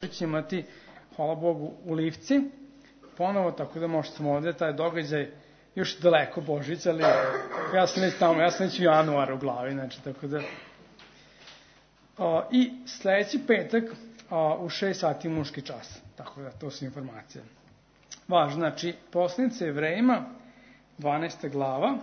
će imati, hvala Bogu, u Livci, ponovo, tako da možete sam ovde, taj događaj još daleko Božić, ali ja sam već tamo, ja sam već u januaru u glavi, znači, tako da. I sledeći petak u 6 sati muški čas, tako da, to su informacije. Važno, znači, poslanice Jevrejima, 12. glava,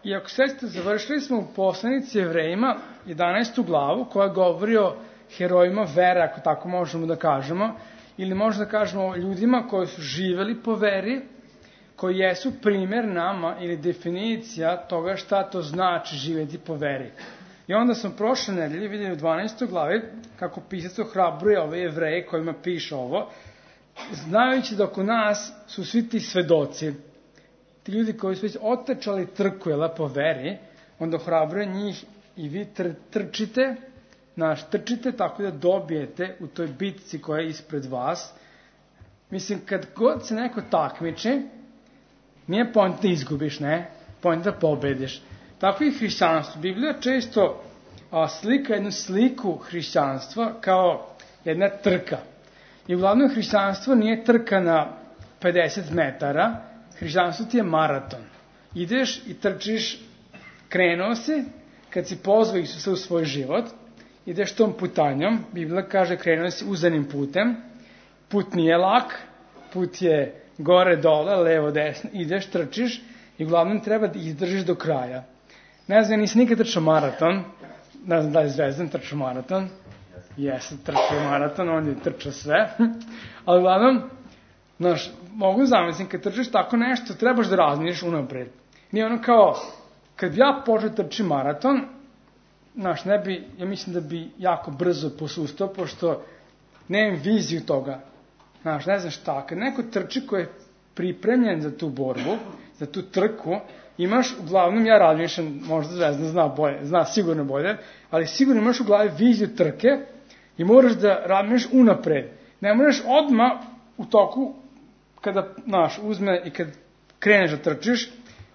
i ako sećate, završili smo u poslanici Jevrejima 11. glavu, koja govori o herojima vere, ako tako možemo da kažemo, ili možemo da kažemo o ljudima koji su živeli po veri, koji jesu primjer nama ili definicija toga šta to znači živjeti po veri. I onda smo prošle nedelje vidjeli u 12. glavi kako pisac ohrabruje ove Jevreje kojima piše ovo, znajući da oko nas su svi ti svedoci, ti ljudi koji su već otečali trku po veri, onda ohrabruje njih i vi trčite, trčite tako da dobijete u toj bitci koja je ispred vas. Mislim, kad god se neko takmiči, nije point da izgubiš, ne? Point da pobediš. Tako i hrišćanstvo. Biblija često slika jednu sliku hrišćanstva kao jedna trka. I uglavnom hrišćanstvo nije trka na 50 metara, hrišćanstvo ti je maraton. Ideš i trčiš, krenuo si, kad si pozvao Isusa u svoj život, ideš tom putanjom, Biblija kaže krenuo si uzanim putem, put nije lak, put je gore, dole, levo, desno, ideš, trčiš i uglavnom treba da izdržiš do kraja. Ne znam, nisi nikad trčao maraton, ne znam da je Zvezdan trčao maraton, jesam trčao maraton, on je trčao sve, ali uglavnom, znaš, mogu zamislim, kad trčiš tako nešto, trebaš da razmišljaš unapred. Nije ono kao, kad ja počeo trči maraton, znaš, ne bi, ja mislim da bi jako brzo posustao, pošto nemam viziju toga. Znaš, ne znam šta, kad neko trči koji je pripremljen za tu borbu, za tu trku, imaš, uglavnom, ja razmišljam, možda Zvezdan zna bolje, zna sigurno bolje, ali sigurno imaš u glavi viziju trke i moraš da razmišljaš unapred. Ne moraš odmah u toku, kada, znaš, uzme i kad kreneš da trčiš,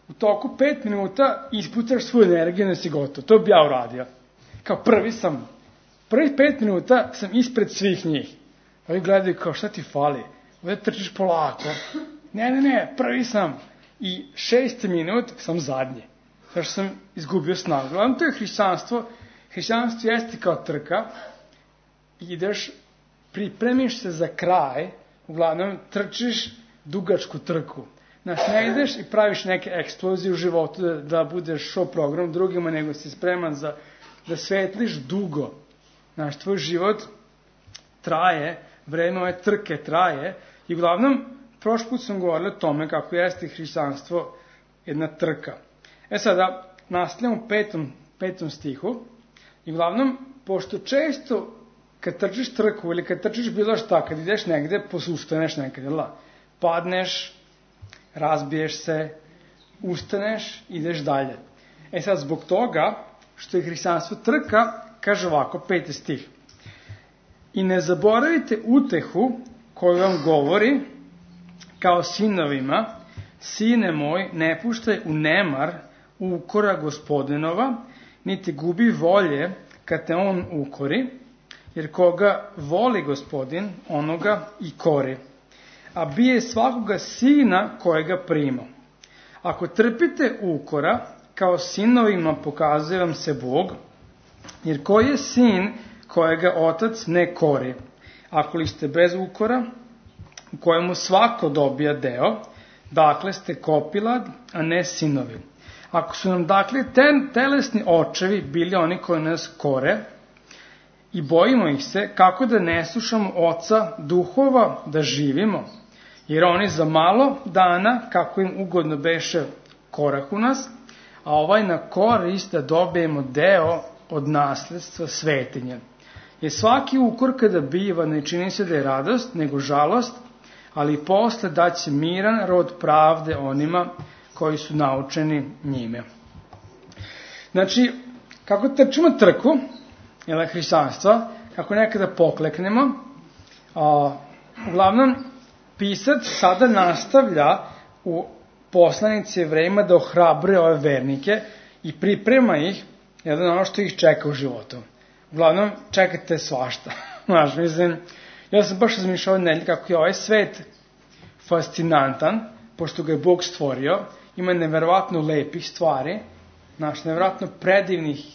u toku 5 minuta ispucaš svoju energiju da si gotov. To bi ja uradio. Kao prvih 5 minuta sam ispred svih njih. Ovi gledaju kao šta ti fali, ovdje trčiš polako. Ne, prvi sam. I 6 minut sam zadnji. Zašto sam izgubio snagu. Uglavnom to je hrišćanstvo. Hrišćanstvo jeste kao trka. Ideš, pripremiš se za kraj, uglavnom trčiš dugačku trku. Znaš, ne ideš i praviš neke eksplozije u životu da budeš show program drugima, nego si spreman da svetliš dugo. Znaš, tvoj život traje, vreme ove trke traje i uglavnom, prošli put sam govorio o tome kako jeste hrišćanstvo jedna trka. Sada, nastavljamo u 5. stihu i uglavnom, pošto često kad trčiš trku ili kad trčiš bilo šta, kad ideš negde, posustaneš nekad, padneš, razbiješ se, ustaneš, ideš dalje. Sad, zbog toga, što je hrišćanstvo trka, kaže ovako, 5. stih. I ne zaboravite utehu koju vam govori, kao sinovima, sine moj, ne puštaj u nemar ukora Gospodinova, niti gubi volje kad te on ukori, jer koga voli Gospodin, onoga i kori. A bije svakoga sina kojega prima. Ako trpite ukora, kao sinovima pokazuje vam se Bog, jer koji je sin kojega otac ne kori? Ako li ste bez ukora, u kojemu svako dobija deo, dakle ste kopilad, a ne sinovi. Ako su nam dakle telesni očevi bili oni koji nas kore i bojimo ih se, kako da ne slušamo oca duhova da živimo, jer oni za malo dana, kako im ugodno beše, korahu nas, a ovaj na korist da dobijemo deo od nasledstva svetinja. Jer svaki ukor kada biva ne čini se da je radost, nego žalost, ali posle daće miran rod pravde onima koji su naučeni njime. Znači, kako trčimo trku, hrišćanstva, kako nekada pokleknemo, uglavnom, pisac sada nastavlja u poslanici Jevrejima da ohrabruje ove vernike i priprema ih ono što ih čeka u životu. Uglavnom, čekate svašta. Znaš, mislim, Ja sam baš razmišljao nedelje kako je ovaj svet fascinantan, pošto ga je Bog stvorio, ima neverovatno lepih stvari, neverovatno predivnih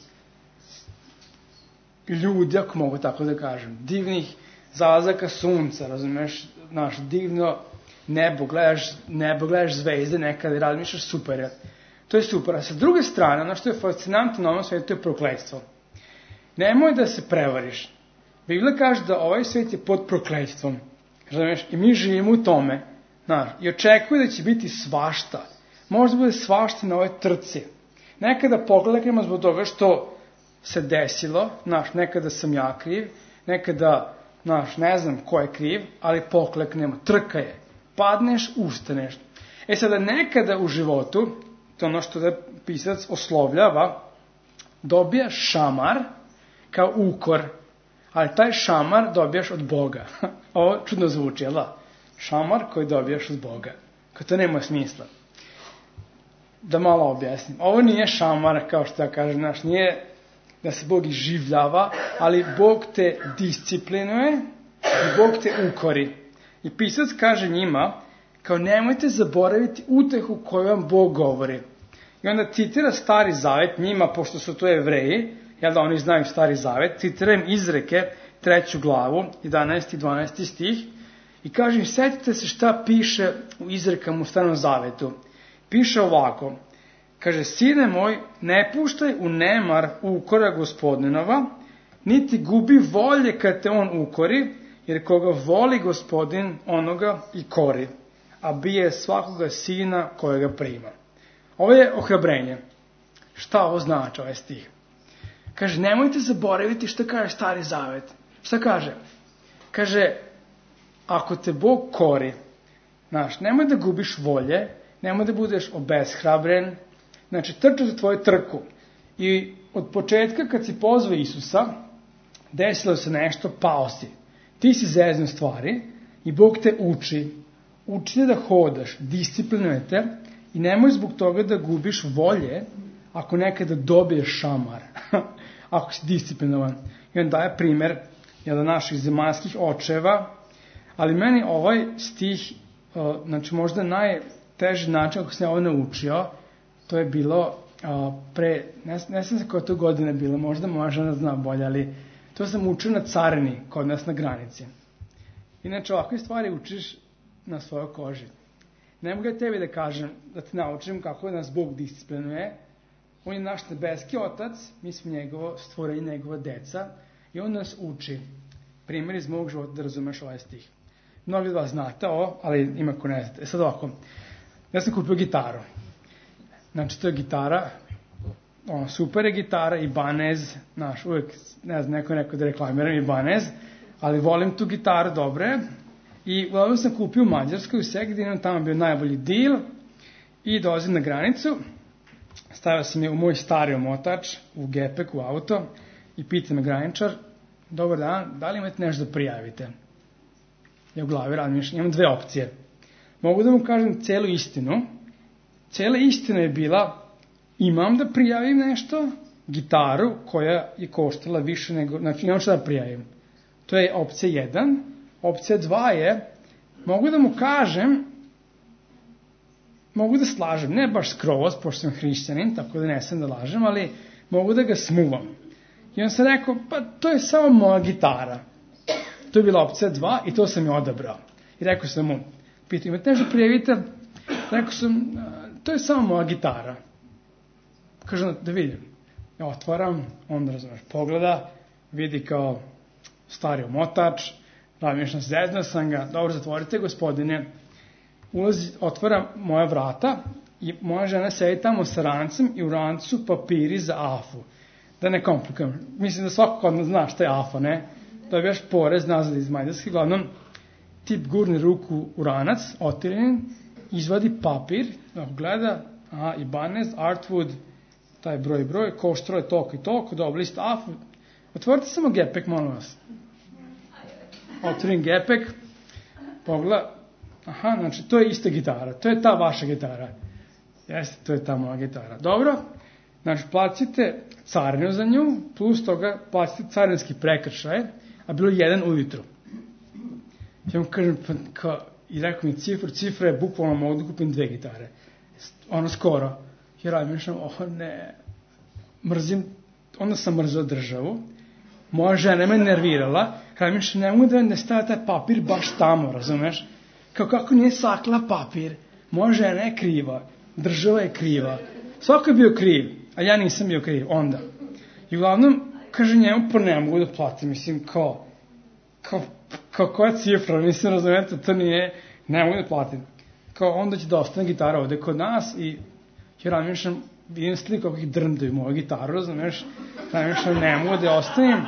ljudi, ako mogu tako da kažem, divnih zalazaka sunca, razumeš, divno nebo, gledaš zvezde nekada i razmišljaš, super je. To je super. A sa druge strane, ono što je fascinantno na ovom svijetu je prokletstvo. Nemoj da se prevariš. Biblia kaže da ovaj svijet je pod prokletstvom. Razumeš? I mi živimo u tome. I očekuje da će biti svašta. Možda bude svašta na ove trci. Nekada pokleknemo zbog toga što se desilo. Nekada sam ja kriv. Nekada, ne znam ko je kriv, ali pokleknemo. Trka je. Padneš, ustaneš. Sada nekada u životu, to je ono što da pisac oslovljava, dobija šamar kao ukor, ali taj šamar dobijaš od Boga. Ovo čudno zvuči, jel da? Šamar koji dobijaš od Boga. Kao to nema smisla. Da malo objasnim. Ovo nije šamar, kao što ja kažem, nije da se Bog iživljava, ali Bog te disciplinuje i Bog te ukori. I pisac kaže njima, kao nemojte zaboraviti utehu koju vam Bog govori. I onda citira Stari Zavet njima, pošto su to Jevreji, jel da oni znaju Stari Zavet, citiram Izreke, 3. glavu, 11. i 12. stih, i kaže im, setite se šta piše u Izrekama u Starom Zavetu. Piše ovako, kaže, sine moj, ne puštaj u nemar ukora Gospodinova, niti gubi volje kad te on ukori, jer koga voli Gospodin, onoga i kori, a bije svakoga sina kojega prima. Ovo je ohrabrenje. Šta ovo znači, ovaj stih? Kaže, nemojte zaboraviti što kaže Stari Zavet. Šta kaže? Kaže, ako te Bog kori, nemoj da gubiš volje, nemoj da budeš obeshrabren, trči za tvoju trku. I od početka kad si pozvao Isusa, desilo se nešto, pao si. Ti si zeznuo stvari i Bog te uči te da hodaš, disciplinuje te i nemoj zbog toga da gubiš volje ako nekada dobiješ šamar, ako si disciplinovan. I on daje primer naših zemaljskih očeva, ali meni ovaj stih, možda najteži način ako sam ovo naučio, to je bilo ne znam se koja to godina bila, možda moja žena zna bolje, ali to sam učio na carini, kod nas na granici. Inače, ovakve stvari učiš na svojoj koži. Ne mogu ja tebi da kažem, da te naučim kako nas Bog disciplinuje. On je naš nebeski otac, mi smo njegovo stvorenje, njegova deca i on nas uči. Primjer iz mog života da razumeš ovaj stih. Mnogi od vas znate ovo, ali ima ko ne znate. Sad ovako, ja sam kupio gitaru. To je gitara, super je gitara, Ibanez, uvijek, ne znam, neko da reklamiram Ibanez, ali volim tu gitaru, dobre. I uglavnom sam kupio u Mađarskoj, u Segedinu, tamo je bio najbolji deal i dolazim na granicu, stavio sam je u moj stari omotač, u gepek, u auto i pita me graničar, dobar dan, da li imate nešto da prijavite? Ja u glavi razmišljam, imam dve opcije. Mogu da mu kažem celu istinu. Cela istina je bila, imam da prijavim nešto, gitaru koja je koštala više nego, imam što da prijavim. To je opcija 1. Opcija 2 je, mogu da mu kažem, mogu da slažem, ne baš skroz, pošto sam hrišćanin, tako da ne sam da lažem, ali mogu da ga smuvam. I on sam rekao, pa to je samo moja gitara. To je bila opcija 2 i to sam je odabrao. I rekao sam mu, pitao, imate nešto prijavite? Rekao sam, to je samo moja gitara. Kažem, da vidim. Ja otvaram, on razumeš, pogleda, vidi kao stari omotač, razmišljam, zezna sam ga, dobro, zatvorite gospodine. Otvara moja vrata i moja žena sedi tamo sa rancem i u rancu papiri za AFU. Da ne komplikujem. Mislim da svako kod nas zna šta je AFA, ne? Dobijaš porez nazad iz Mađarske, glavnom tip gurni ruku u ranac, otiren, izvadi papir, gleda, Ibanez, Artwood, taj broj, koštro je toliko i toliko, dobro, list AFU. Otvorite samo gepek, molim vas. Otvorim gepek, pogleda, znači to je ista gitara, to je ta vaša gitara. Jeste, to je ta moja gitara. Dobro, znači platite carinu za nju, plus toga platite carinski prekršaj, a bilo 1 ujutru. Ja mu kažem, i rekao mi cifra je bukvalno mogu da kupim 2 gitare. Skoro. I razmišljam, ne, mrzim, onda sam mrzao državu, moja žena me nervirala, razmišljam, ne mogu da stavia taj papir baš tamo, razumeš? Kako nije sakla papir, moja žena je kriva, država je kriva, svako je bio kriv, a ja nisam bio kriv, onda. I uglavnom, kaže njemu, pa ne mogu da platim, mislim, koja cifra, mislim, razumete, to nije, ne mogu da platim. Onda će da ostane gitara ovde kod nas i ja razmišljam, vidim sliku kako ih drndaju moju gitaru, razumeš, razmišljam, ne mogu da je ostavim.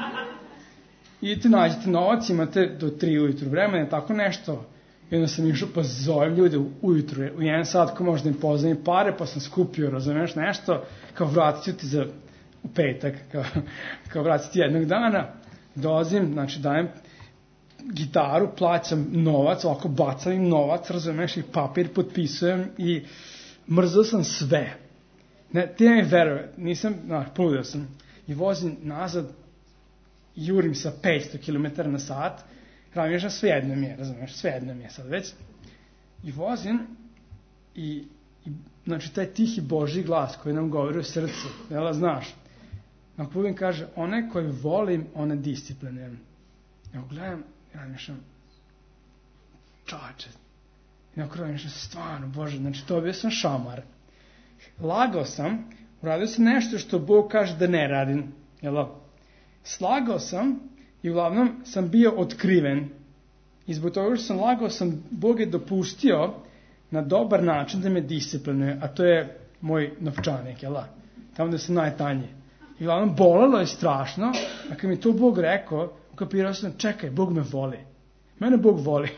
Idete, nađete novac, imate do 3 ujutru vremena, tako nešto. I onda sam išao, pa zovem ljude ujutru, u 1 sat, ko možda im pozavim pare, pa sam skupio, razumeš, nešto, vratit ću ti u petak, vratit ti jednog dana, dolazim, znači dajem gitaru, plaćam novac, ovako bacam im novac, razumeš, i papir potpisujem i mrzao sam sve. Ti ne veruje, nisam, poludeo sam i vozim nazad, jurim sa 500 km na sat, razmišljam, svejedno mi je, razumeš, svejedno mi je sad već, i vozim i znači taj tihi Božji glas koji nam govori u srcu, jel, znaš, na put kaže, one koje volim, one disciplinujem. Ja gledam, razmišljam, čače, i na kraju razmišljam, stvarno, Bože, znači to bio sam šamar. Lagao sam, uradio sam nešto što Bog kaže da ne radim, jel? Slagao sam i uglavnom sam bio otkriven. I zbog toga što sam lagao sam, Bog je dopustio na dobar način da me disciplinuje, a to je moj novčanik, jel? Tamo da sam najtanji. I uglavnom bolelo je strašno, a kad mi to Bog rekao, ukapirao sam, čekaj, Bog me voli. Mene Bog voli.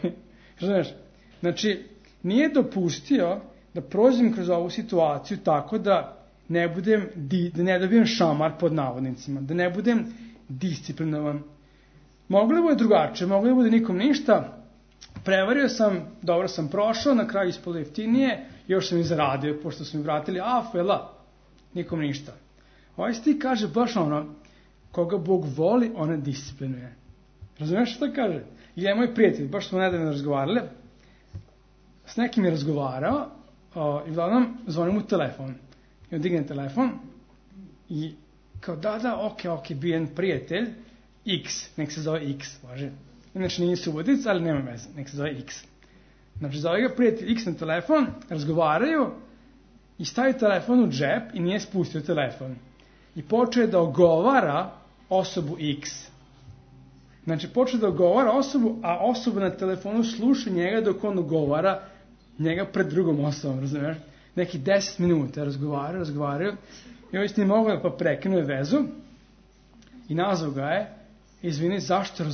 Znači, nije dopustio da prođem kroz ovu situaciju tako da ne dobijem šamar pod navodnicima, da ne budem disciplinovan. Moglo je bude drugačije, moglo je bude nikom ništa, prevario sam, dobro sam prošao, na kraju ispalo jeftinije, još sam i zaradio, pošto su mi vratili nikom ništa. Ovaj stih kaže baš koga Bog voli, ona disciplinuje. Razumiješ što kaže? I je moj prijatelj, baš smo nedavno razgovarali, s nekim je razgovarao i uglavnom zvonim mu telefon. I on digne telefon i kao ok, bio jedan prijatelj, X, nek se zove X, važe. Inače nije Subotic, ali nema veze, nek se zove X. Znači zove ga prijatelj X na telefon, razgovaraju i stavi telefon u džep i nije spustio telefon. I počeo da ogovara osobu X. Znači počeo da ogovara osobu, a osoba na telefonu sluša njega dok on ogovara njega pred drugom osobom, razumiješ? Neki 10 minuta razgovaraju i ovaj nije mogao pa prekinuje vezu i nazvao ga je, izvini, zašto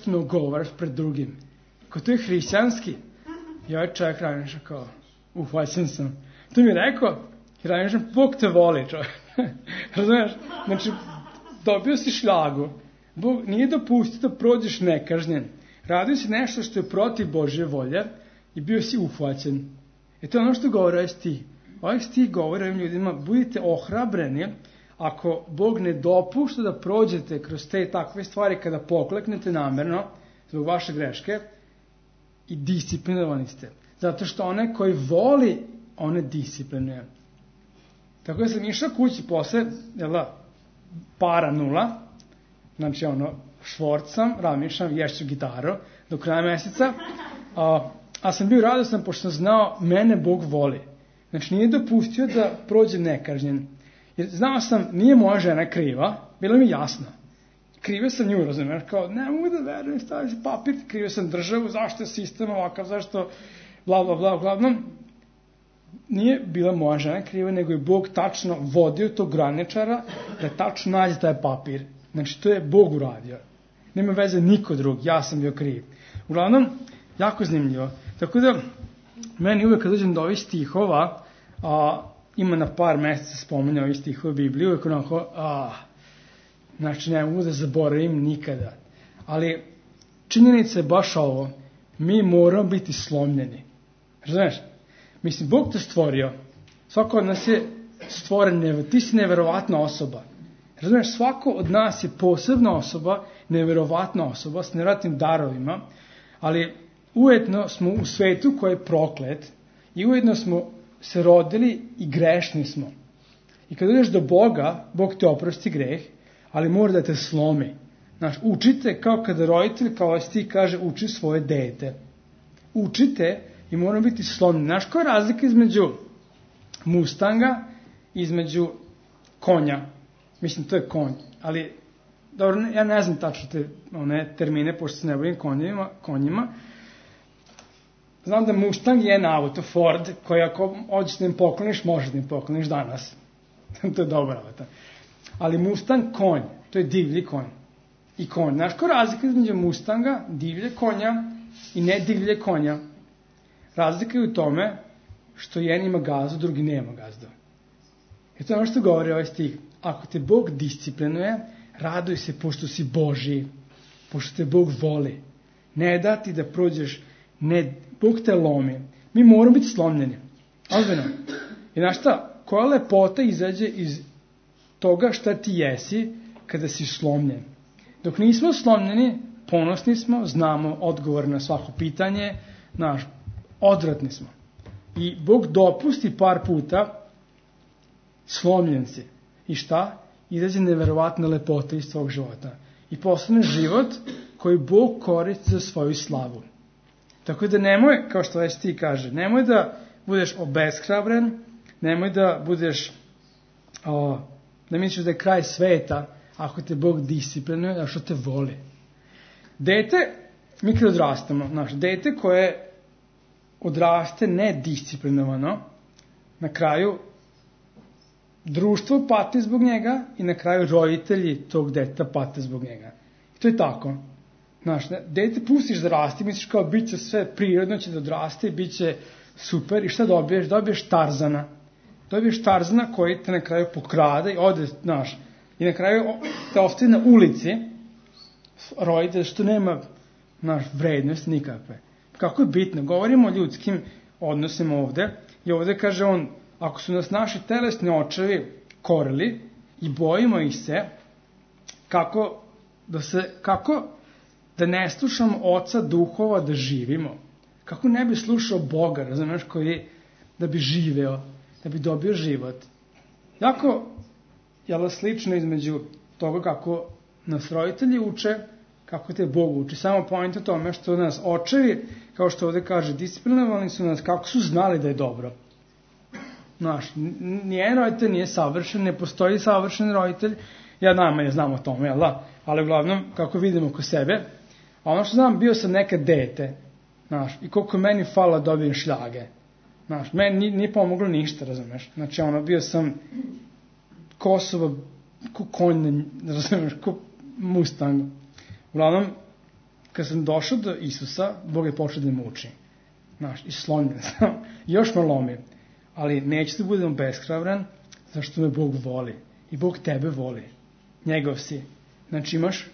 me ogovaraš pred drugim? To je hrišćanski. I ovaj čovjek razmišlja kao, uhvaćen sam. To mi je rekao, i razmišljam, Bog te voli, čovjek. Razumiješ? Znači, dobio si šljagu. Bog nije dopustio da prođeš nekažnjen. Radio si nešto što je protiv Božje volje i bio si uhvaćen. To je ono što govori ovaj stih. Ovaj stih govori ovim ljudima, budite ohrabreni ako Bog ne dopušta da prođete kroz te takve stvari kada pokleknete namerno zbog vaše greške i disciplinovani ste. Zato što one koji voli, one disciplinuje. Tako da sam išao kući posle, para 0, znači švorcam, razmišljam, ješću gitaru do kraja meseca, a sam bio radostan pošto sam znao, mene Bog voli. Znači nije dopustio da prođe nekažnjen. Jer znao sam, nije moja žena kriva, bilo mi jasno. Krivio sam nju, razumiješ, kao ne mogu da verujem, stavio si papir, krivio sam državu, zašto je sistem ovakav, zašto bla bla bla, uglavnom. Nije bila moja žena kriva, nego je Bog tačno vodio tog graničara da tačno nađe taj papir. Znači to je Bog uradio. Nema veze niko drug, ja sam bio kriv. Uglavnom, jako zanimljivo. Tako da, meni uvek kad dođem do ovih stihova, ima na par mjeseca spominja ovih stihova u Bibliji, uvek onako, znači ne mogu da zaboravim nikada. Ali činjenica je baš ovo, mi moramo biti slomljeni. Razumiješ? Mislim, Bog te stvorio, svako od nas je stvoren, ti si neverovatna osoba. Razumiješ, svako od nas je posebna osoba, neverovatna osoba s nevjerovatnim darovima, ali ujedno smo u svetu koji je proklet i ujedno smo se rodili i grešni smo. I kad dođeš do Boga, Bog te oprosti greh, ali mora da te slomi. Znaš, učite kao kada roditelj, kao ti kaže, uči svoje dete. Učite i moramo biti slomljeni. Znaš, koja je razlika između Mustanga i između konja? Mislim, to je konj, ali dobro, ja ne znam tačno te termine, pošto se ne bavim konjima. Znam da Mustang je jedan auto, Ford, koji ako hoćeš da im pokloniš, možeš da im pokloniš danas. To je dobar auto. Ali Mustang konj, to je divlji konj. I konj. Znaš koja razlika između Mustanga, divlje konja i ne divlje konja? Razlika je u tome što jedan ima gazdu, drugi nema gazdu. I to je ono što govori ovaj stih. Ako te Bog disciplinuje, raduj se pošto si Božji, pošto te Bog voli. Ne da ti da prođeš, ne, Bog te lomi. Mi moramo biti slomljeni. Ozbiljno. I znaš šta, koja lepota izađe iz toga šta ti jesi kada si slomljen. Dok nismo slomljeni, ponosni smo, znamo odgovor na svako pitanje, odvratni smo. I Bog dopusti par puta, slomljen si. I šta? Izađe neverovatna lepota iz tvojeg života. I postane život koji Bog koristi za svoju slavu. Tako da nemoj, kao što već ti kaže, nemoj da budeš obeshrabren, nemoj da budeš, da misliš da je kraj sveta, ako te Bog disciplinuje, a što te voli. Dete, mi kad odrastamo, dete koje odraste nedisciplinovano, na kraju društvo pati zbog njega i na kraju roditelji tog deteta pate zbog njega. I to je tako. Dete pustiš da raste, misliš kao bit će sve prirodno, će da odraste, bit će super. I šta dobiješ? Dobiješ Tarzana. Dobiješ Tarzana koji te na kraju pokrade i ode, i na kraju te ostaje na ulici roditelj što nema vrednost nikakve. Kako je bitno? Govorimo o ljudskim odnosima ovde i ovde kaže on, ako su nas naši telesni očevi korili i bojimo ih se, kako da ne slušamo oca duhova da živimo? Kako ne bi slušao Boga, razumeš, koji da bi živeo, da bi dobio život? Jako je slično između toga kako nas roditelji uče, kako te Bog uči. Samo point o tome što nas očevi, kao što ovde kaže, disciplinovali su nas kako su znali da je dobro. Nijedan roditelj nije savršen, ne postoji savršen roditelj. Ja najmanje znam o tome, ali uglavnom, kako vidimo oko sebe, a ono što znam, bio sam nekad dete, i koliko meni fala dobijem šljage. Meni nije pomoglo ništa, razumeš. Bio sam Kosovo, ko konj, razumeš, ko Mustang. Uglavnom, kad sam došao do Isusa, Bog je počeo da me uči. I slomljen sam. Još me lomi. Ali neću da budem beshrabran, zašto me Bog voli. I Bog tebe voli. Njegov si. Imaš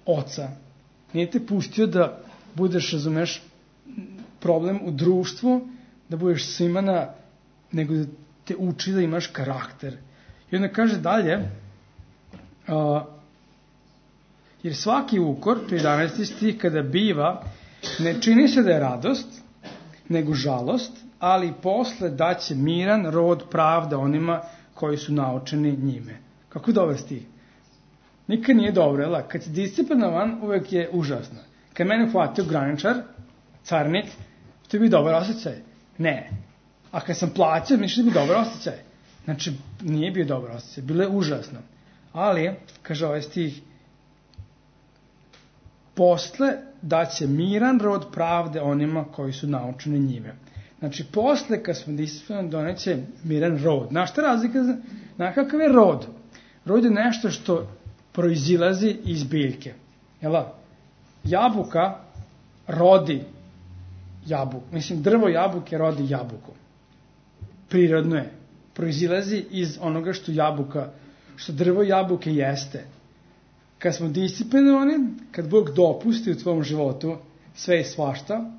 oca. Nije te pustio da budeš, razumeš, problem u društvu, da budeš svima nego da te uči da imaš karakter. I onda kaže dalje, jer svaki ukor, to je 11. stih, kada biva, ne čini se da je radost, nego žalost, ali posle daće miran rod pravda onima koji su naučeni njime. Kako je dobar stih? Nikad nije dobro, kad si disciplinovan, uvek je užasno. Kad mene hvatio graničar, carnik, to je bio dobar osjećaj. Ne. A kad sam plaćao, misliš da je bio dobar osjećaj. Nije bio dobar osjećaj, bilo je užasno. Ali, kaže ovaj stih, posle daće miran rod pravde onima koji su naučeni njime. Posle kad smo disciplinovani, doneće miran rod. Znaš šta razlika? Znaš kakav je rod? Rod je nešto što proizilazi iz biljke. Jabuka rodi jabuku. Drvo jabuke rodi jabuku. Prirodno je. Proizilazi iz onoga što drvo jabuke jeste. Kad smo disciplinovani, kad Bog dopusti u tvom životu sve i svašta,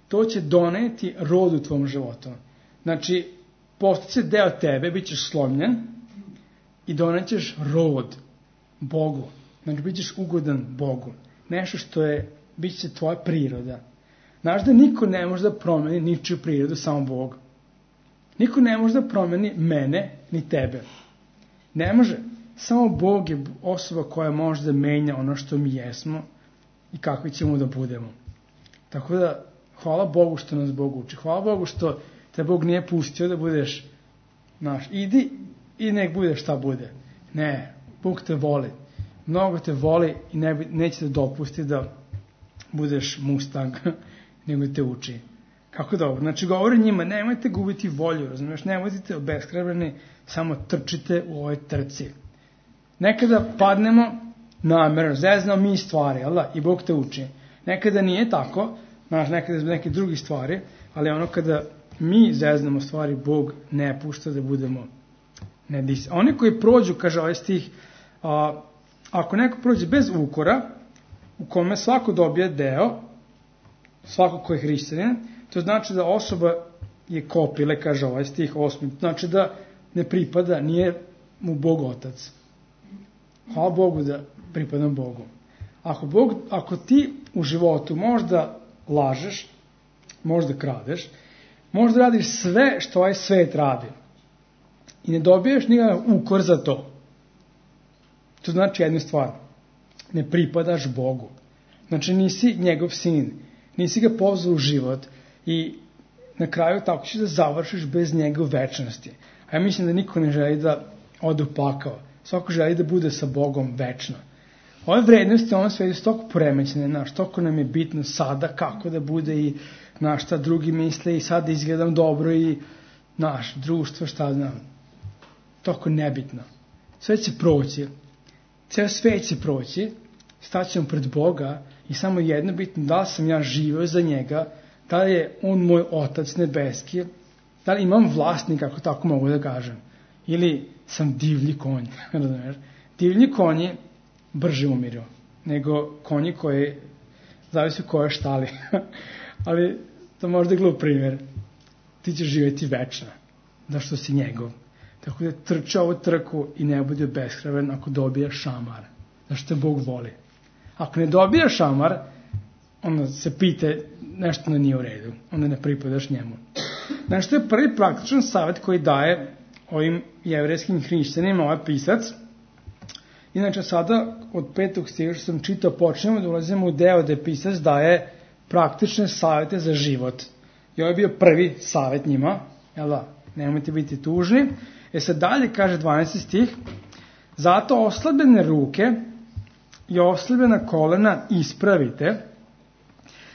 to će doneti rod u tvom životu. postaće deo tebe, bit ćeš slomljen i donećeš rod Bogu. Bit ćeš ugodan Bogu. Nešto što bit će tvoja priroda. Znaš da niko ne može da promeni ničiju prirodu, samo Bog. Niko ne može da promeni mene, ni tebe. Ne može. Samo Bog je osoba koja može da menja ono što mi jesmo i kakvi ćemo da budemo. Tako da, hvala Bogu što nas Bog uči. Hvala Bogu što te Bog nije pustio da budeš idi i nek bude šta bude. Ne, Bog te voli. Mnogo te voli i neće da dopusti da budeš Mustang, nego te uči. Kako dobro? Znači, govori njima, nemojte gubiti volju, razumiješ? Nemojte obeshrabreni, samo trčite u ovoj trci. Nekada padnemo namerno, zeznamo mi stvari, i Bog te uči. Nekada nije tako, nekada zbog neke drugi stvari, ali ono kada mi zeznamo stvari, Bog ne pušta da budemo nedisciplinovani. Oni koji prođu, kaže ovaj stih, ako neko prođe bez ukora, u kome svako dobije deo, svako ko je hrišćanin, to znači da osoba je kopile, kaže ovaj stih 8. Znači da ne pripada, nije mu Bog otac. Hvala Bogu da pripadam Bogu. Ako ti u životu možda lažeš, možda kradeš, možda radiš sve što ovaj svet radi i ne dobiješ nikakav ukor za to, to znači jednu stvar, ne pripadaš Bogu. Znači nisi njegov sin, nisi ga pozvao u život i na kraju tako ćeš da završiš bez njega u večnosti. A ja mislim da niko ne želi da ode u pakao. Svako želi da bude sa Bogom večno. Ove vrednosti u ovom svetu su toliko poremećene, toliko nam je bitno sada kako da bude i šta drugi misle i sad izgledam dobro i društvo, šta znam. Toliko nebitno. Sve će proći. Ceo svet će proći, staćemo pred Boga i samo jedno bitno, da li sam ja živio za njega, da li je on moj otac nebeski, da li imam vlasnika, ako tako mogu da kažem, ili sam divlji konj. Divlji konji brže umiru nego konji koji zavisi u kojoj štali. Ali to možda je glup primjer. Ti ćeš živjeti večno, da što si njegov. Tako da trče ovu trku i ne bude beskraven ako dobije šamar. Zašto te Bog voli. Ako ne dobije šamar, onda se pite nešto nije u redu. Onda ne pripadaš njemu. Znači, to je prvi praktičan savjet koji daje ovim jevrejskim hrišćanima ovaj pisac. Inače, sada od 5. stiha što sam čitao, počnemo da ulazimo u deo gde pisac daje praktične savjete za život. I ovo je bio prvi savjet njima. Nemojte biti tužni. Sad dalje kaže 12. stih. Zato oslabljene ruke i oslabljena kolena ispravite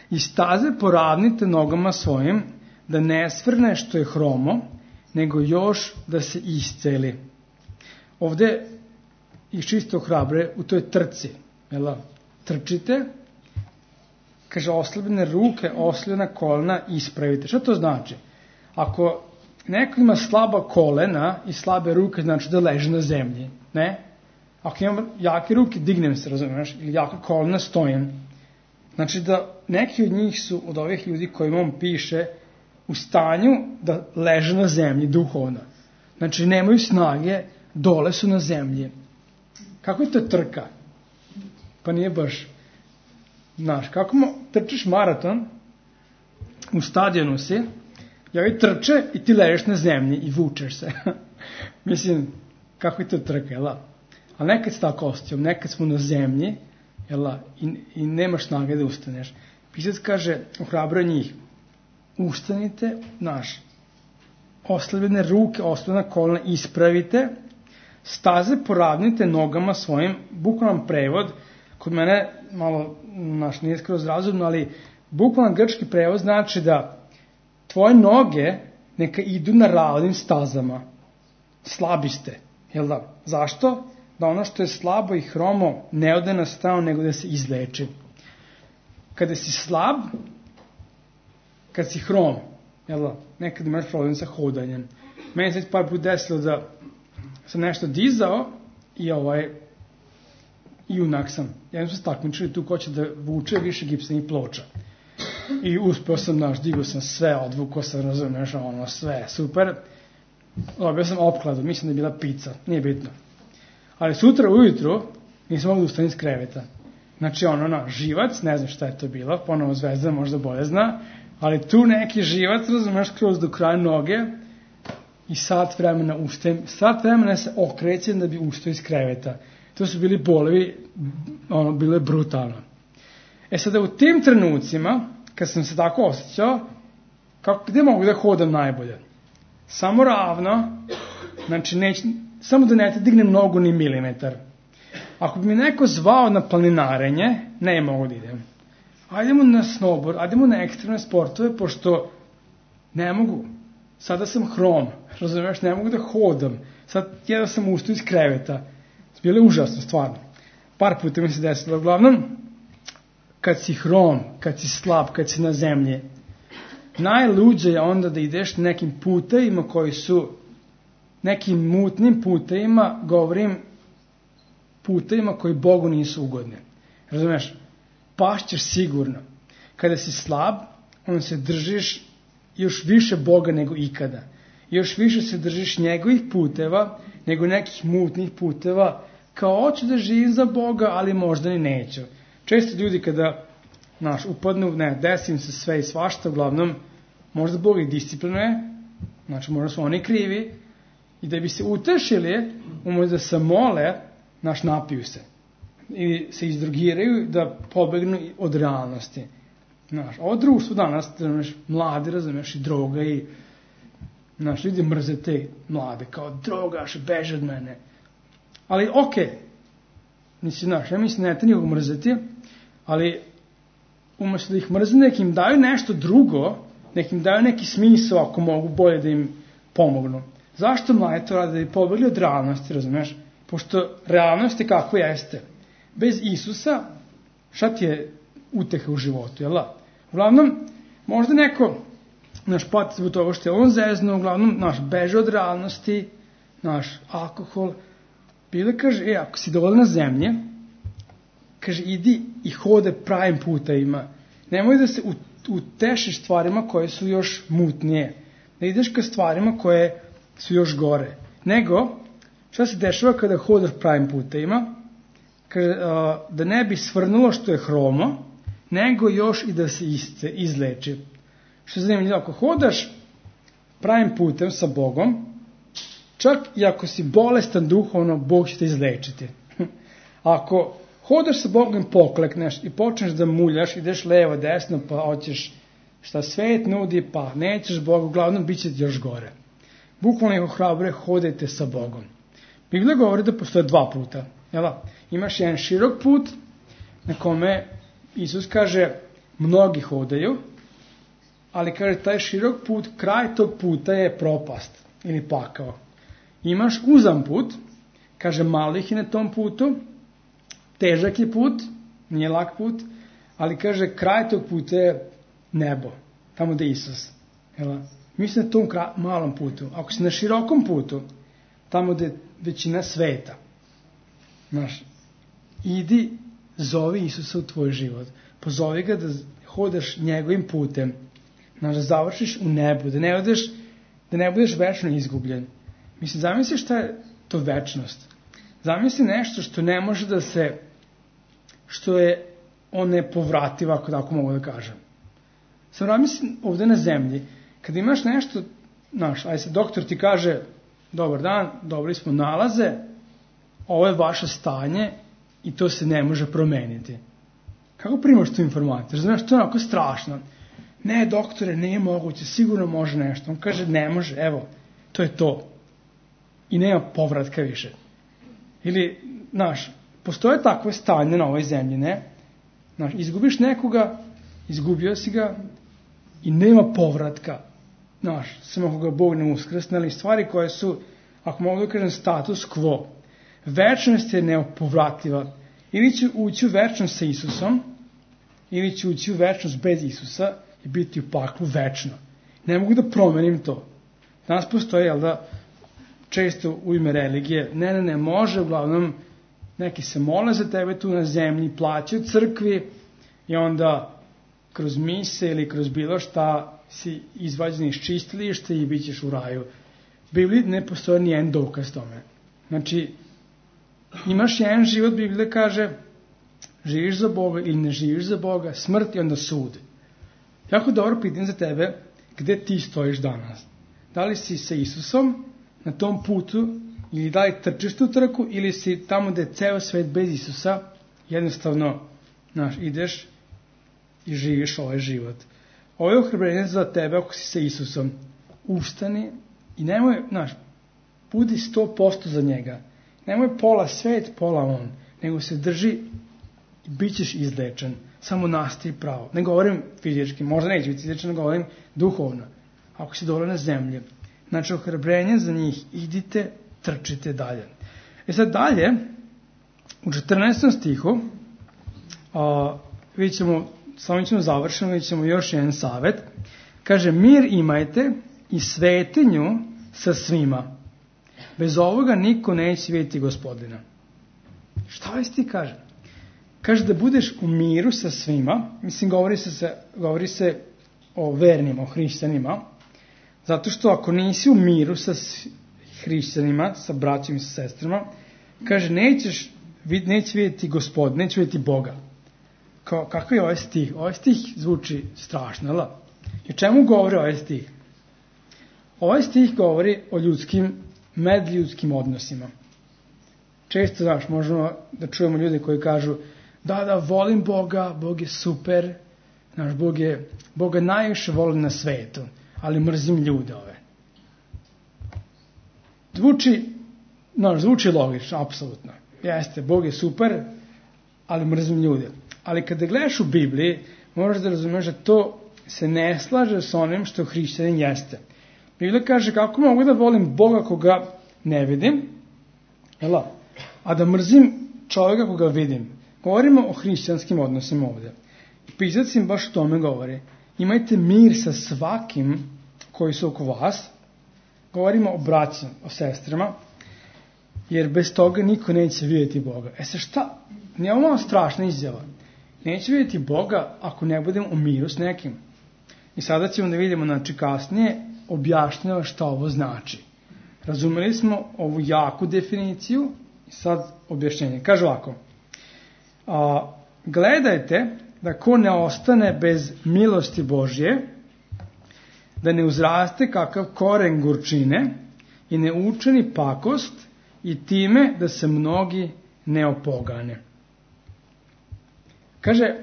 i staze poravnite nogama svojim, da ne svrne što je hromo, nego još da se isceli. Ovde ih čisto hrabre u toj trci. Trčite, kaže oslabljene ruke, oslabljena kolena ispravite. Šta to znači? Ako neko ima slaba kolena i slabe ruke, znači da leži na zemlji. Ne? Ako imam jake ruke, dignem se, razumiješ? Ili jaka kolena, stojim. Znači da neki od njih su, od ovih ljudi kojima on piše, u stanju da leže na zemlji duhovno. Znači nemaju snage, dole su na zemlji. Kako je to trka? Pa nije baš. Kako trčiš maraton, u stadionu si, i ovi trče i ti ležeš na zemlji i vučeš se. Mislim, kako je to trka, Ali nekad se tako osjećam, nekad smo na zemlji, i nemaš snage da ustaneš. Pisac kaže, ohrabra njih, ustanite, oslabljene ruke, oslabljena kolena ispravite, staze poravnite nogama svojim, bukvalan prevod, kod mene malo, nije skroz razumno, ali bukvalan grčki prevod znači da tvoje noge neka idu na ravnim stazama. Slabi ste, Zašto? Da ono što je slabo i hromo ne ode na stranu, nego da se izleči. Kada si slab, kad si hrom, nekad imaš problem sa hodanjem. Meni se par puta desilo da sam nešto dizao i unak sam. Jednom sam se takmičili tu ko će da vuče više gipsanih ploča. I uspeo sam, digao sam sve, odvukao sam, razumiješ, sve, super. Dobio sam opkladu, mislim da je bila pizza, nije bitno. Ali sutra ujutru nisam mogu da ustanem iz kreveta. Znači živac, ne znam šta je to bilo, ponovo Zvezda možda bolje zna, ali tu neki živac, razumeš, kroz do kraja noge i sat vremena se okrećem da bi ustao iz kreveta. To su bili bolevi, bilo je brutalno. Sada u tim trenucima, kad sam se tako osjećao, gde mogu da hodam najbolje? Samo ravno, znači samo da ne te dignem nogu ni milimetar. Ako bi mi neko zvao na planinarenje, ne mogu da idem. Ajdemo na snowboard, ajdemo na ekstremne sportove, pošto ne mogu. Sada sam hrom, razumiješ, ne mogu da hodam. Sad jedno sam ustao iz kreveta. Bilo je užasno, stvarno. Par puta mi se desilo. Uglavnom, kad si hrom, kad si slab, kad si na zemlji, najluđe je onda da ideš nekim putevima koji su, nekim mutnim putevima, govorim, putevima koji Bogu nisu ugodni. Razumeš? Pašćeš sigurno. Kada si slab, onda se držiš još više Boga nego ikada. Još više se držiš njegovih puteva, nego nekih mutnih puteva, kao hoću da živim za Boga, ali možda ni neću. Često ljudi kada upadnu, desim se sve i svašta, uglavnom, možda Bog ih disciplinuje, znači možda su oni krivi, i da bi se utešili, umesto da se mole, napiju se. I se izdrogiraju da pobegnu od realnosti. Ovo društvo danas, mladi, razumeš, i droga i ljudi mrze te mlade, kao drogaš, beže od mene. Ali ja mislim ne treba nikog mrzeti, ali umesto da ih mrze, nekim daju nešto drugo, nekim daju neki smisao ako mogu bolje da im pomognu. Zašto mlade to rade? Da bi pobegli od realnosti, razumeš? Pošto realnost je kako jeste. Bez Isusa, šta ti je uteha u životu, jel da? Uglavnom, možda neko pati zbog toga što je on zezno, uglavnom, beže od realnosti, alkohol. Bile kaže, ako si dovoljno na zemlji, kaže, idi i hode pravim putevima. Nemoj da se utešiš stvarima koje su još mutnije. Da ideš ka stvarima koje su još gore. Nego, šta se dešava kada hodaš pravim putevima? Kaže, da ne bi svrnulo što je hromo, nego još i da se izleči. Što je zanimljivo, ako hodaš pravim putem sa Bogom, čak i ako si bolestan duhovno, Bog će te izlečiti. Ako hodaš sa Bogom, poklekneš i počneš da muljaš, ideš levo, desno, pa hoćeš šta svet nudi, pa nećeš Boga, uglavnom bit će ti još gore. Bukvalno ih ohrabruje, hodajte sa Bogom. Biblija govori da postoje dva puta. Imaš jedan širok put na kome Isus kaže mnogi hodaju, ali kaže taj širok put, kraj tog puta je propast ili pakao. Imaš uzam put, kaže malo ih je na tom putu, težak je put, nije lak put, ali kaže kraj tog puta je nebo, tamo gde je Isus. Mi smo na tom malom putu. Ako si na širokom putu, tamo gde je većina sveta, idi, zovi Isusa u tvoj život. Pozovi ga da hodaš njegovim putem. Da završiš u nebu. Da ne budeš večno izgubljen. Mislim, zamisli šta je to večnost. Zamisli nešto što ne može da se, što je nepovrativa, ako tako mogu da kažem. Sam zamisli ovde na zemlji, kada imaš nešto, ajde se doktor ti kaže, dobar dan, dobili smo nalaze, ovo je vaše stanje i to se ne može promeniti. Kako primaš tu informaciju? Znaš, to je onako strašno. Ne, doktore, nije moguće, sigurno može nešto. On kaže, ne može, evo, to je to. I nema povratka više. Ili, postoje takve stanje na ovoj zemlji, ne? Izgubiš nekoga, izgubio si ga i nema povratka. Samo ako ga Bog ne uskrsne, ali stvari koje su, ako mogu da kažem, status quo. Večnost je nepovratljiva. Ili će ući u večnost sa Isusom, ili će ući u večnost bez Isusa i biti u paklu večno. Ne mogu da promenim to. Danas postoje, često u ime religije, ne, može, uglavnom, neki se mole za tebe tu na zemlji, plaćaju crkvi i onda kroz mise ili kroz bilo šta si izvađen iz čistilišta i bit ćeš u raju. U Bibliji ne postoje nijedan dokaz tome. Znači, imaš jedan život, Biblija kaže, živiš za Boga ili ne živiš za Boga, smrt i onda sud. Jako dobro pitanje za tebe, gde ti stojiš danas? Da li si sa Isusom na tom putu ili da li trčiš tu trku ili si tamo gde je ceo svet bez Isusa, jednostavno ideš i živiš ovaj život. Ovo je ohrabrenje za tebe ako si sa Isusom. Ustani i nemoj, budi 100% za njega. Nemoj pola svet, pola on, nego se drži i bit ćeš izlečen. Samo nastavi pravo. Ne govorim fizički, možda neće biti izlečen, ne govorim duhovno. Ako si dole na zemlji. Znači, ohrabrenje za njih, idite, trčite dalje. Sad dalje, u 14. stihu, vidjet ćemo, samo ćemo završeno, vidjet ćemo još jedan savjet. Kaže, mir imajte i svetinju sa svima. Bez ovoga niko neće vidjeti Gospodina. Šta ovaj stih kaže? Kaže da budeš u miru sa svima, mislim govori se o vernima, o hrišćanima, zato što ako nisi u miru sa hrišćanima, sa braćima i sa sestrama, kaže neće vidjeti Gospod, neće vidjeti Boga. Kako je ovaj stih? Ovaj stih zvuči strašno, ali? I o čemu govori ovaj stih? Ovaj stih govori o medljudskim odnosima. Često, možemo da čujemo ljude koji kažu da, volim Boga, Bog je super, Boga najviše volim na svetu, ali mrzim ljude ove. Zvuči logično, apsolutno. Jeste, Bog je super, ali mrzim ljude. Ali kada gledaš u Bibliji, moraš da razumeš da to se ne slaže s onim što hrišćanin jeste. Biblija kaže kako mogu da volim Boga koga ne vidim, a da mrzim čovjeka koga vidim. Govorimo o hrišćanskim odnosima ovdje. I pisac im baš o tome govori. Imajte mir sa svakim koji su oko vas. Govorimo o braći, o sestrama, jer bez toga niko neće vidjeti Boga. Šta? Nije ovo malo strašna izjava. Neće vidjeti Boga ako ne budem u miru s nekim. I sada ćemo da vidimo, kasnije objašnjava šta ovo znači. Razumeli smo ovu jaku definiciju i sad objašnjenje. Kaže ovako. Gledajte da ko ne ostane bez milosti Božje, da ne uzraste kakav koren gorčine i ne učini pakost i time da se mnogi ne opogane. Kaže,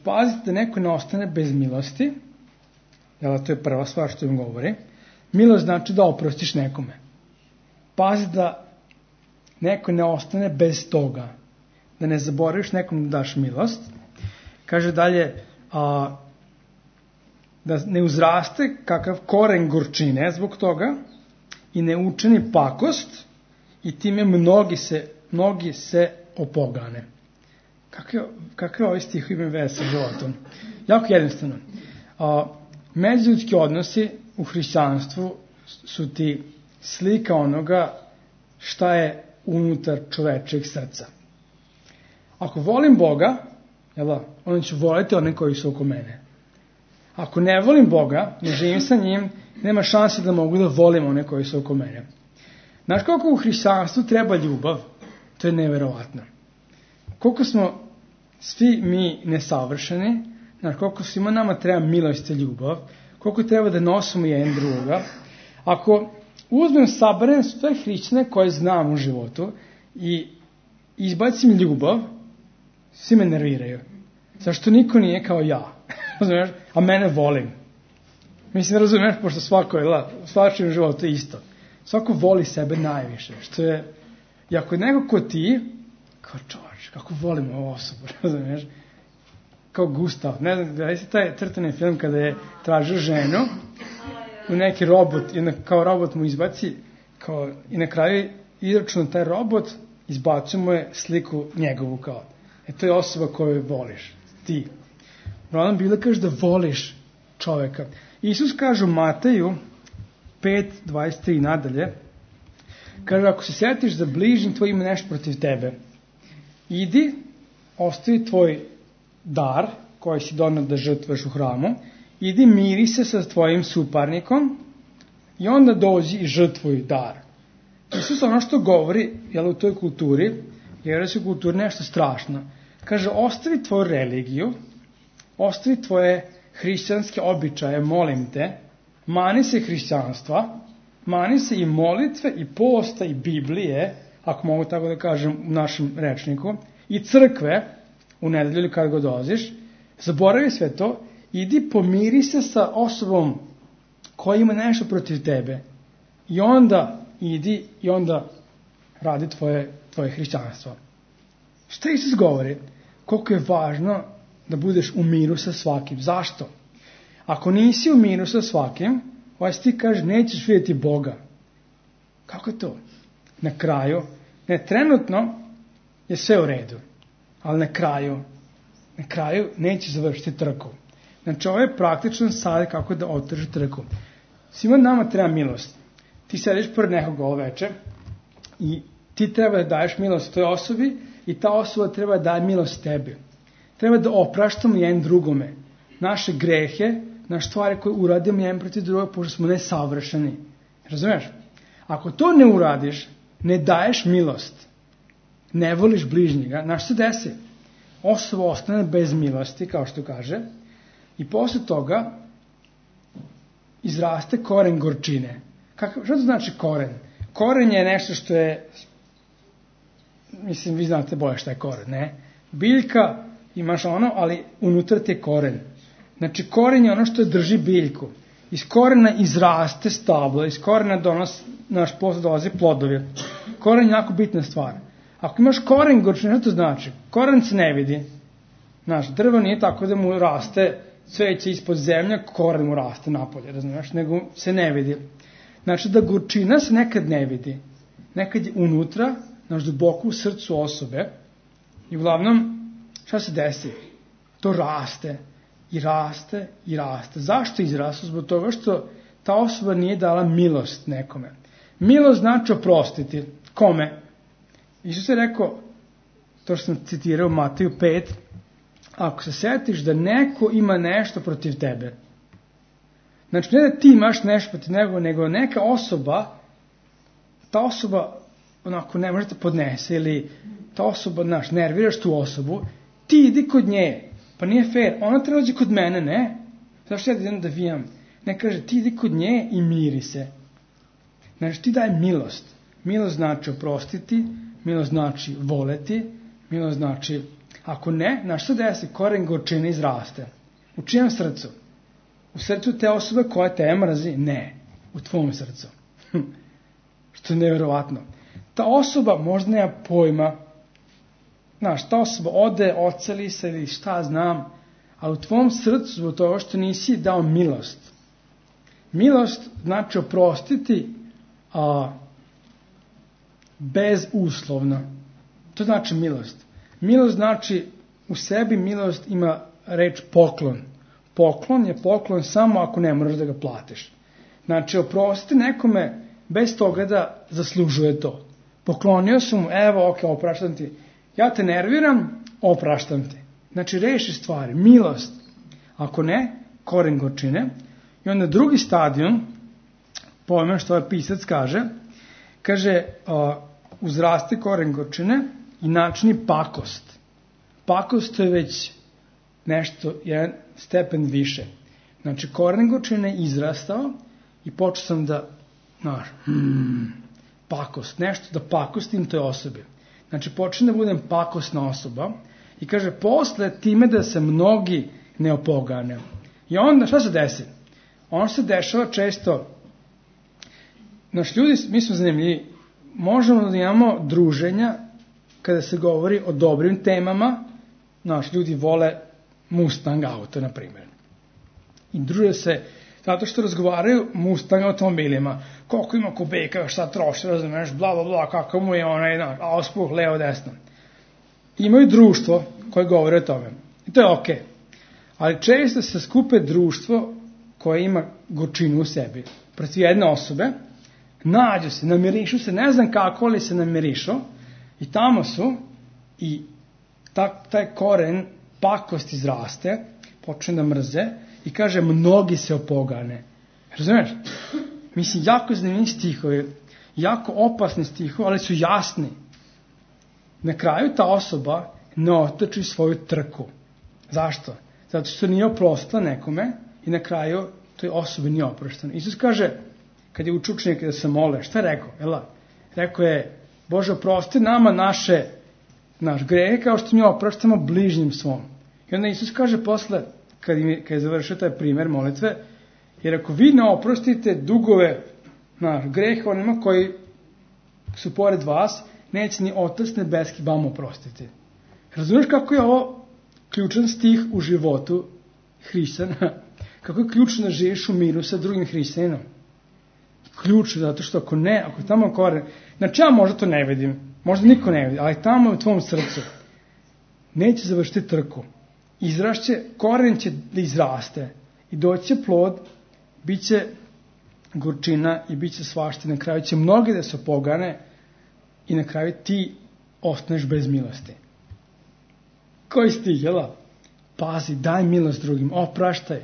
pazite da neko ne ostane bez milosti, to je prva stvar što im govori. Milost znači da oprostiš nekome. Pazi da neko ne ostane bez toga, da ne zaboraviš nekom da daš milost. Kaže dalje, da ne uzraste kakav koren gorčine zbog toga i ne učini pakost i time mnogi se opogane. Kakve ovaj stih ima veze sa životom? Jako jednostavno. Međuljudski odnosi u hrišćanstvu su ti slika onoga šta je unutar čovečeg srca. Ako volim Boga, onda ću voliti one koji su oko mene. Ako ne volim Boga, ne živim sa njim, nema šanse da mogu da volim one koji su oko mene. Znaš koliko u hrišćanstvu treba ljubav? To je neverovatno. Koliko smo svi mi nesavršeni, koliko svima nama treba milost i ljubav, koliko treba da nosimo jedan druga. Ako uzmem, saberem sve hrišćane koje znam u životu i izbacim ljubav, svi me nerviraju. Zašto niko nije kao ja? Razumiješ? A mene volim. Mislim, razumiješ, pošto svačem u životu je isto. Svako voli sebe najviše. Što je, i ako je neko ko ti, kao čovječ, kako volim ovu osobu, razumiješ? Kao Gustav. Ne znam, da je taj crtani film kada je tražio ženu u neki robot, kao robot mu izbaci, i na kraju izračuna taj robot, izbacio mu je sliku njegovu kao. To je osoba koju voliš, ti. Uglavnom Biblija kaže da voliš čoveka. Isus kaže u Mateju 5:23 nadalje, kaže ako se sjetiš da bližnji tvoj ima nešto protiv tebe, idi, ostavi tvoj dar koji si doneo da žrtvuješ u hramu, idi miri se sa tvojim suparnikom i onda dođi i žrtvuj dar. Isus ono što govori u toj kulturi, jer je u kulturi nešto strašno. Kaže, ostavi tvoju religiju, ostavi tvoje hrišćanske običaje, molim te, mani se hrišćanstva, mani se i molitve, i posta, i Biblije, ako mogu tako da kažem u našem rečniku, i crkve, u nedelju ili kad god dolaziš, zaboravi sve to, idi pomiri se sa osobom koja ima nešto protiv tebe i onda idi i onda radi tvoje hrišćanstvo. Šta Isus govori? Koliko je važno da budeš u miru sa svakim. Zašto? Ako nisi u miru sa svakim, ovaj ti kaže nećeš vidjeti Boga. Kako je to? Na kraju, trenutno je sve u redu, ali na kraju neće završiti trku. Znači, ovo je praktičan savjet kako da otrži trku. Svima nama treba milost. Ti sediš pored nekog ovo veče i ti treba da daješ milost toj osobi i ta osoba treba da daje milost tebi. Treba da opraštamo jedan drugome naše grehe, naše stvari koje uradimo jedan protiv druga, pošto smo nesavršeni. Razumiješ? Ako to ne uradiš, ne daješ milost, ne voliš bližnjega, znaš se desi? Osoba ostane bez milosti, kao što kaže, i posle toga izraste koren gorčine. Šta to znači koren? Koren je nešto što je, mislim, vi znate bolje šta je koren, ne? Biljka, imaš ono, ali unutra ti je koren. Znači, koren je ono što drži biljku. Iz korena izraste stablo, iz korena naš posle dolazi plodovi. Koren je jako bitna stvar. Ako imaš koren gorčine, šta to znači? Koren se ne vidi. Znaš, drvo nije tako da mu raste cveće ispod zemlja, koren mu raste napolje, razumiješ, nego se ne vidi. Znači da gorčina se nekad ne vidi. Nekad je unutra, znaš, duboko u srcu osobe i uglavnom, šta se desi? To raste i raste i raste. Zašto izraste? Zbog toga što ta osoba nije dala milost nekome. Milost znači oprostiti. Kome? Isus je rekao, to što sam citirao u Mateju 5, ako se setiš da neko ima nešto protiv tebe, znači ne da ti imaš nešto protiv njega, nego neka osoba, ta osoba onako ne može da podnese, ili ta osoba, znaš, nerviraš tu osobu, ti idi kod nje, pa nije fair, ona treba dođe kod mene, ne? Zašto ja idem da vijam? Ne, kaže, ti idi kod nje i miri se. Znači, ti daj milost. Milost znači oprostiti, milost znači voleti, milost znači, ako ne, znaš što desi? Koren gorčine izraste. U čijem srcu? U srcu te osobe koja te mrzi? Ne, u tvom srcu. Što je nevjerovatno. Ta osoba možda nema pojma, znaš, ta osoba ode, oceli se ili šta znam, ali u tvom srcu zbog toga što nisi dao milost. Milost znači oprostiti bezuslovno. To znači milost. Milost znači, u sebi milost ima reč poklon. Poklon je poklon samo ako ne moraš da ga platiš. Znači, oprostiti nekome bez toga da zaslužuje to. Poklonio sam mu, evo, ok, opraštam ti. Ja te nerviram, opraštam ti. Znači, reši stvari, milost. Ako ne, koren gorčine. I onda drugi stadion, pojma što ovaj pisac kaže, uzraste koren gorčine i načini pakost. Pakost to je već nešto, jedan stepen više. Znači, koren gorčine je izrastao i počeo sam da, pakost, nešto da pakostim toj osobi. Znači, počnem da budem pakosna osoba i kaže, posle time da se mnogi ne opogane. I onda, šta se desi? Ono se dešava često, naš ljudi, mi smo zanimljivi, možemo da imamo druženja kada se govori o dobrim temama, naš ljudi vole Mustang auto, na primjer. I druže se, zato što razgovaraju Mustang automobilima, koliko ima kubika, šta troši, razumeš, bla, bla, bla, kako mu je onaj auspuh, levo, desno. Imaju društvo koje govore o tome. I to je okej. Ali često se skupe društvo koje ima gorčinu u sebi. Protiv jedne osobe, nađu se, namirišu se, ne znam kako, ali se namirišu i tamo su i taj koren pakost izraste, počne da mrze i kaže, mnogi se opogane. Razumiješ? Mislim, jako zanimljivi stihovi, jako opasni stihovi, ali su jasni. Na kraju ta osoba ne otoči svoju trku. Zašto? Zato što nije oprostila nekome i na kraju toj osobi nije oprošteno. Isus kaže, kad je učio učenike da se mole, šta je rekao? Rekao je, Bože, oprosti nama naš grehe kao što mi opraštamo bližnjim svom. I onda Isus kaže posle, kad je završio taj primer molitve, jer ako vi ne oprostite dugove, grehe onima koji su pored vas, neće ni Otac nebeski vam oprostiti. Razumiješ kako je ovo ključan stih u životu hrišćana? Kako je ključno da živiš u miru sa drugim hrišćaninom? Ključno, zato što ako tamo koren, znači ja možda to ne vidim, možda niko ne vidi, ali tamo u tvom srcu neće završiti trku. Izrašće, koren će da izraste i doći će plod, bit će gorčina i bit će svašta. Na kraju će mnogi da se opogane i na kraju ti ostaneš bez milosti. Koji stih, jel'a? Pazi, daj milost drugim, opraštaj.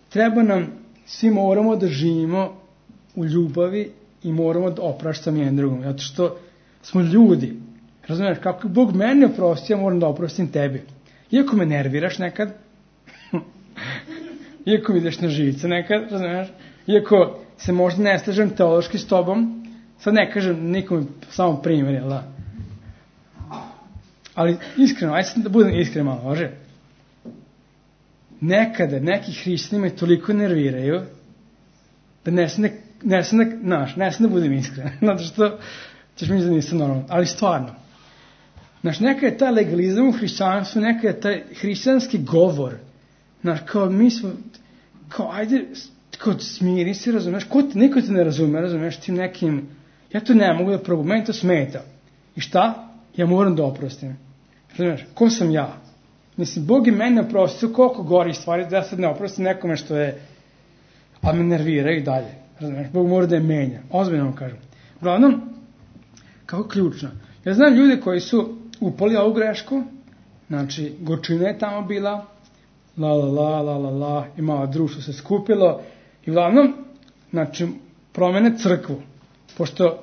Treba nam, svi moramo da živimo u ljubavi i moramo da opraštamo jedan drugom. Zato što smo ljudi. Razumiješ, kako Bog mene oprosti, ja moram da oprostim tebi. Iako me nerviraš nekad, iako mi ideš na živce nekad, razumiješ, iako se možda ne slažem teološki s tobom, sad ne kažem nikom samo primjer, jel da? Ali iskreno, ajde da budem iskren malo, može? Nekada neki hrišćani me toliko nerviraju da ne sam da budem iskren, zato što ćeš mi da nisam normalno, ali stvarno. Znaš, neka je taj legalizam u hrišćanstvu, neka je taj hrišćanski govor, znaš, kao mi smo, kao ajde, kao smiri se, razumeš, niko te ne razume, razumeš, tim nekim, ja to ne mogu da probujem, meni to smeta. I šta? Ja moram da oprostim. Razumeš, ko sam ja? Mislim, Bog je meni oprostio koliko gori stvari, da ja sad ne oprostim nekome što je, a me nervira i dalje. Razumeš, Bog mora da je menja. Ozbiljno vam kažem. Uglavnom, kako ključno. Ja znam ljude koji su upali ovu grešku, znači, gorčina je tamo bila, i malo društvo se skupilo, i uglavnom, znači, promene crkvu, pošto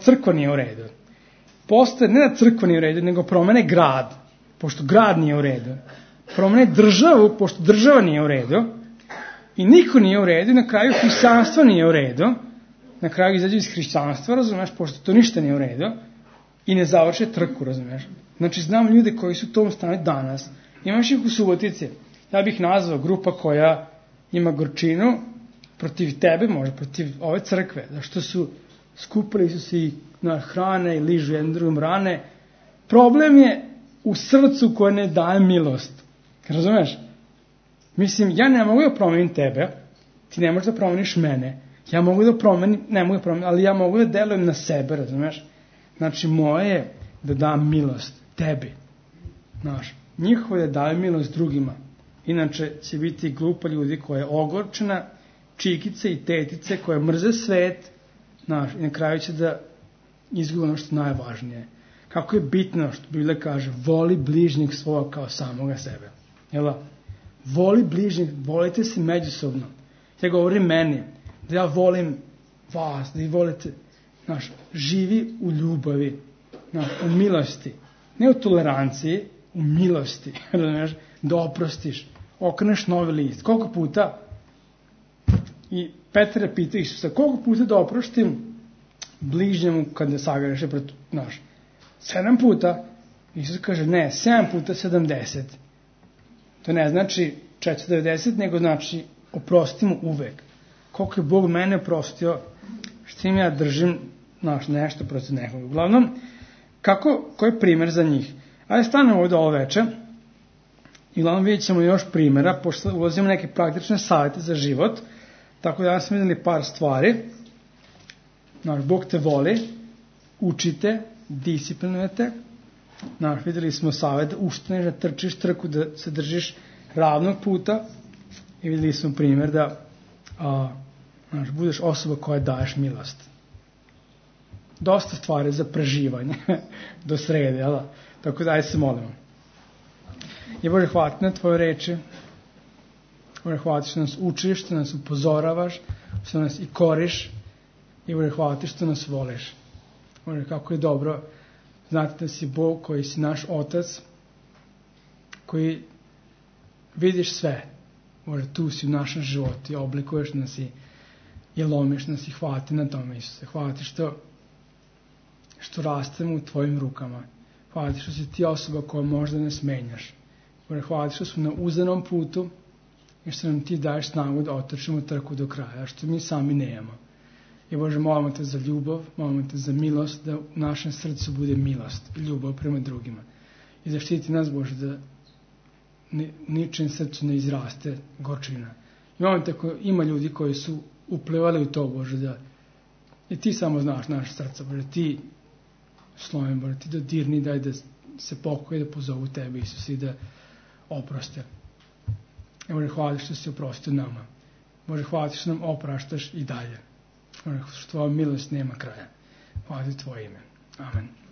crkva nije u redu. Ne da crkva nije u redu, nego promene grad, pošto grad nije u redu. Promene državu, pošto država nije u redu. I niko nije u redu, na kraju hrišćanstvo nije u redu. Na kraju izađe iz hrišćanstva, razumeš, pošto to ništa nije u redu. I ne završe trku, razumeš. Znači, znam ljude koji su u tom stanju danas. Imaš ih u Subotici. Ja bih nazvao grupa koja ima gorčinu protiv tebe, možda protiv ove crkve. Zašto su skupili su se i na hrane i ližu jednom drugom rane. Problem je u srcu koje ne daje milost. Razumeš? Mislim, ja ne mogu da promenim tebe, ti ne možeš da promeniš mene. Ja mogu da promenim, ne mogu da promenim, ali ja mogu da delujem na sebe, razumeš? Znači, moje je da dam milost tebi. Znaš, njihovo je da daju milost drugima. Inače će biti glupa ljudi koja je ogorčena, čikice i tetice koje mrze svet, znaš, i na kraju će da izgubi ono što je najvažnije. Kako je bitno što Biblija kaže, voli bližnjeg svoga kao samoga sebe. Jel' voli bližnjeg, volite se međusobno. Ja govorim meni, da ja volim vas, da i volite, znaš, živi u ljubavi, znaš, u milosti. Ne u toleranciji, u milosti, razumiješ, da oprostiš, okreneš novi list. Koliko puta, i Petar pita Isusa, koliko puta da oprostim bližnjemu kad ne sagreše, znaš, 7 puta, Isus kaže, ne, 7 puta 70. To ne znači 490, nego znači oprostimo uvek. Koliko je Bog mene oprostio, što im ja držim, znaš, nešto protiv nekog. Uglavnom, koji je primjer za njih? Ajde stanemo ovdje ovo večer i uglavnom vidjet ćemo još primjera, pošto ulazimo neke praktične savjete za život, tako da ja sam vidjeli par stvari. Znaš, Bog te voli, učite, disciplinujete. Znaš, vidjeli smo savjet da ustaneš, da trčiš trku, da se držiš ravnog puta i vidjeli smo primjer da znaš, budeš osoba koja daješ milost. Dosta stvari za preživanje do srede, jel? Tako da ajde se molimo. I Bože, hvala ti na tvoje reči. Bože, hvala ti što nas učiš, što nas upozoravaš, što nas i koriš. I Bože, hvala ti što nas voliš. Bože, kako je dobro znati da si Bog koji si naš Otac koji vidiš sve. Bože, tu si u našem životu i oblikuješ nas i lomiš nas i hvati na tome, Isuse. Hvala ti što rastemo u tvojim rukama. Hvala ti što si ti osoba koja možda ne smenjaš. Bože, hvala ti što smo na uzanom putu i što nam ti daješ snagu da otrčimo trku do kraja, što mi sami nemamo. I Bože, molimo te za ljubav, molimo te za milost, da u našem srcu bude milost i ljubav prema drugima. I zaštiti nas, Bože, da ničem srcu ne izraste gorčina. I molimo te, ako ima ljudi koji su uplivali u to, Bože, da i ti samo znaš naše srca, Bože, ti slovim, Bože, ti dodirni, daj da se pokoje, da pozovu tebe, Isus, i da oproste. I Bože, hvala što si oprostio nama. Bože, hvala ti što nam opraštaš i dalje. Što tvoja milost nema kraja. Hvala ti tvoje ime. Amen.